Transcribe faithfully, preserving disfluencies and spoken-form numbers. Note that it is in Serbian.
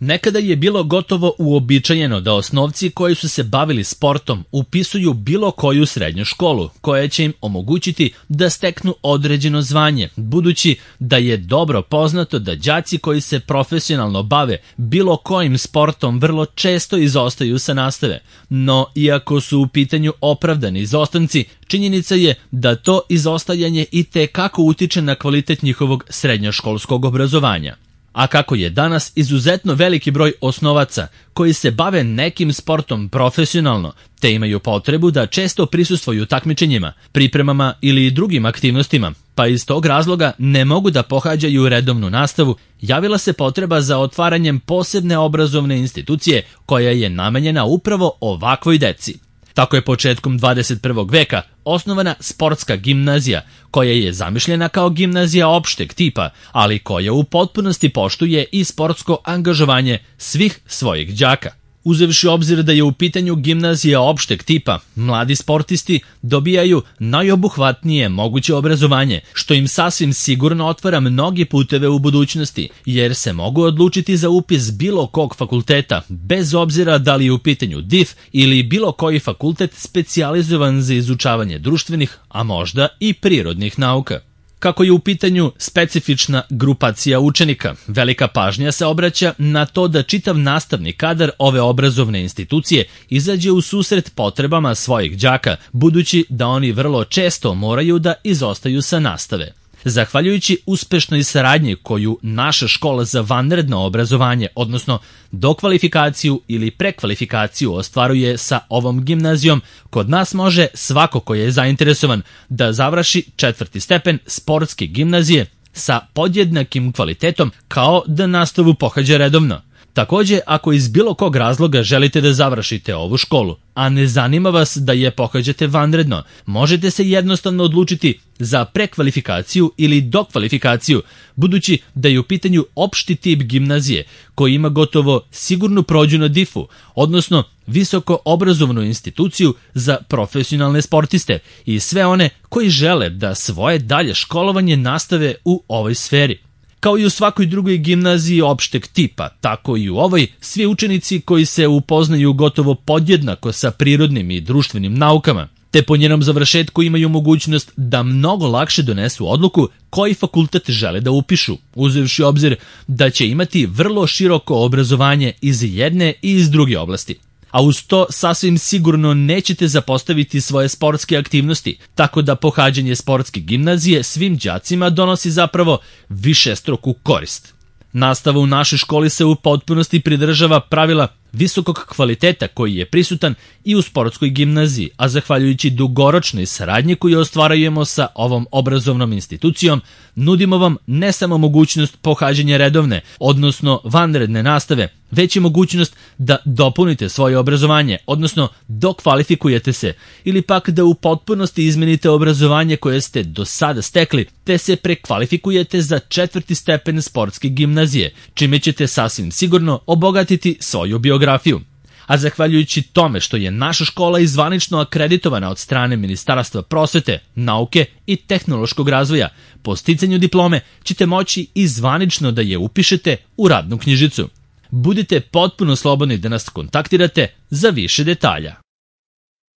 Nekada je bilo gotovo uobičajeno da osnovci koji su se bavili sportom upisuju bilo koju srednju školu, koja će im omogućiti da steknu određeno zvanje, budući da je dobro poznato da đaci koji se profesionalno bave bilo kojim sportom vrlo često izostaju sa nastave. No, iako su u pitanju opravdani izostanci, činjenica je da to izostajanje i te kako utiče na kvalitet njihovog srednjoškolskog obrazovanja. A kako je danas izuzetno veliki broj osnovaca koji se bave nekim sportom profesionalno, te imaju potrebu da često prisustvuju takmičenjima, pripremama ili drugim aktivnostima, pa iz tog razloga ne mogu da pohađaju redovnu nastavu, javila se potreba za otvaranjem posebne obrazovne institucije koja je namenjena upravo ovakvoj deci. Tako je početkom dvadeset prvog veka osnovana sportska gimnazija, koja je zamišljena kao gimnazija opšteg tipa, ali koja u potpunosti poštuje i sportsko angažovanje svih svojih đaka. Uzevši obzir da je u pitanju gimnazija opšteg tipa, mladi sportisti dobijaju najobuhvatnije moguće obrazovanje, što im sasvim sigurno otvara mnogi puteve u budućnosti, jer se mogu odlučiti za upis bilo kog fakulteta, bez obzira da li je u pitanju D I F ili bilo koji fakultet specijalizovan za izučavanje društvenih, a možda i prirodnih nauka. Kako je u pitanju specifična grupacija učenika, velika pažnja se obraća na to da čitav nastavni kadar ove obrazovne institucije izađe u susret potrebama svojih đaka, budući da oni vrlo često moraju da izostaju sa nastave. Zahvaljujući uspešnoj saradnji koju naša škola za vanredno obrazovanje, odnosno dokvalifikaciju ili prekvalifikaciju ostvaruje sa ovom gimnazijom, kod nas može svako ko je zainteresovan da završi četvrti stepen sportske gimnazije sa podjednakim kvalitetom kao da nastavu pohađa redovno. Takođe, ako iz bilo kog razloga želite da završite ovu školu, a ne zanima vas da je pohađate vanredno, možete se jednostavno odlučiti za prekvalifikaciju ili dokvalifikaciju, budući da je u pitanju opšti tip gimnazije koji ima gotovo sigurnu prođu na D I F-u, odnosno visoko obrazovnu instituciju za profesionalne sportiste i sve one koji žele da svoje dalje školovanje nastave u ovoj sferi. Kao i u svakoj drugoj gimnaziji opšteg tipa, tako i u ovoj, svi učenici koji se upoznaju gotovo podjednako sa prirodnim i društvenim naukama, te po njenom završetku imaju mogućnost da mnogo lakše donesu odluku koji fakultet žele da upišu, uzevši obzir da će imati vrlo široko obrazovanje iz jedne i iz druge oblasti. A uz to sasvim sigurno nećete zapostaviti svoje sportske aktivnosti, tako da pohađanje sportske gimnazije svim đacima donosi zapravo višestruku korist. Nastava u našoj školi se u potpunosti pridržava pravila visokog kvaliteta koji je prisutan i u sportskoj gimnaziji, a zahvaljujući dugoročnoj saradnji koju ostvarujemo sa ovom obrazovnom institucijom, nudimo vam ne samo mogućnost pohađanja redovne, odnosno vanredne nastave, već i mogućnost da dopunite svoje obrazovanje, odnosno dokvalifikujete se, ili pak da u potpunosti izmenite obrazovanje koje ste do sada stekli, te se prekvalifikujete za četvrti stepen sportske gimnazije, čime ćete sasvim sigurno obogatiti svoju biografiju. A zahvaljujući tome što je naša škola i zvanično akreditovana od strane Ministarstva prosvete, nauke i tehnološkog razvoja, po sticanju diplome ćete moći i zvanično da je upišete u radnu knjižicu. Budite potpuno slobodni da nas kontaktirate za više detalja.